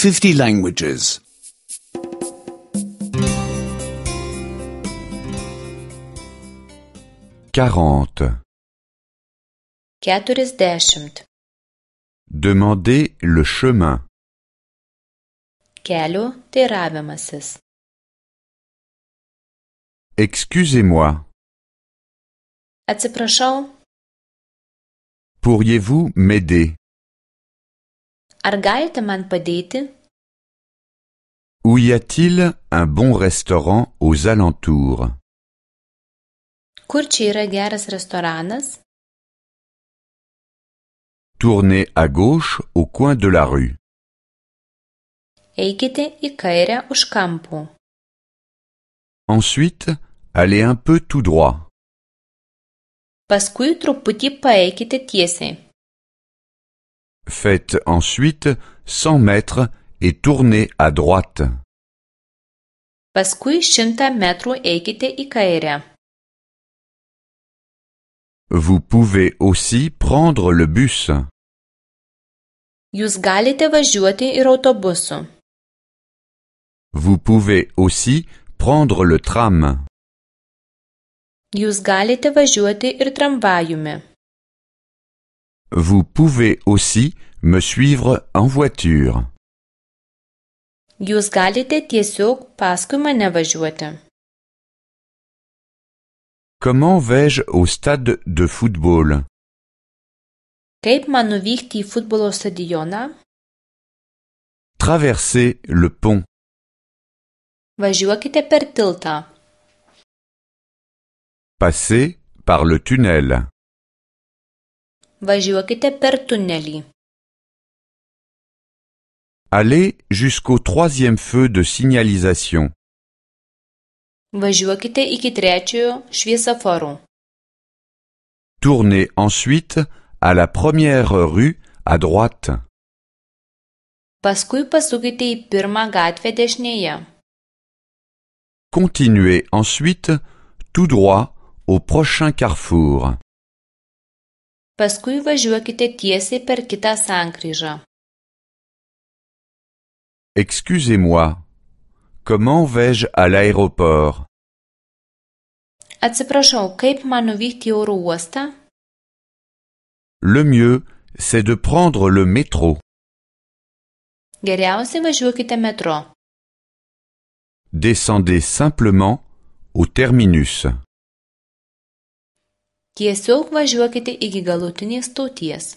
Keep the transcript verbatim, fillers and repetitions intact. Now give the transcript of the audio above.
fifty languages. quarante. Keturiasdešimt. Demandez le chemin. Kelio teiravimasis. Excusez-moi. Atsiprašau, Pourriez-vous m'aider? ar galite man padėti? Où y a-t-il un bon restaurant aux alentours? Kur čia yra geras restoranas? Tournez à gauche au coin de la rue. Eikite į kairę už kampų. Ensuite, allez un peu tout droit. Paskui truputį paeikite tiesiai. Faites ensuite cent mètres et tournez à droite. Paskui šimtą metrų eikite į kairę. Vous pouvez aussi prendre le bus. Jūs galite važiuoti ir autobusu. Vous pouvez aussi prendre le tram. Jūs galite važiuoti ir tramvajumi. Vous pouvez aussi me suivre en voiture. Jūs galite tiesiog paskui mane važiuoti. Comment vais-je au stade de football? Kaip man nuvykti į futbolo stadioną? Traversez le pont. Važiuokite per tiltą. Passez par le tunnel. Važiuokite per tunelį. Allez jusqu'au troisième feu de signalisation. Važiuokite iki trečiojo šviesoforo. Tournez ensuite à la première rue à droite. Paskui pasukite į pirmą gatvę dešinėje. Continuez ensuite tout droit au prochain carrefour. Paskui važiuokite tiesiai per kitą sankryžą. Excusez-moi, comment vais-je à l'aéroport? Atsiprašau, kaip man nuvykti į oro uostą? Le mieux, c'est de prendre le métro. Geriausiai važiuokite metro. Descendez simplement au terminus. Tiesiog važiuokite iki galutinės stoties.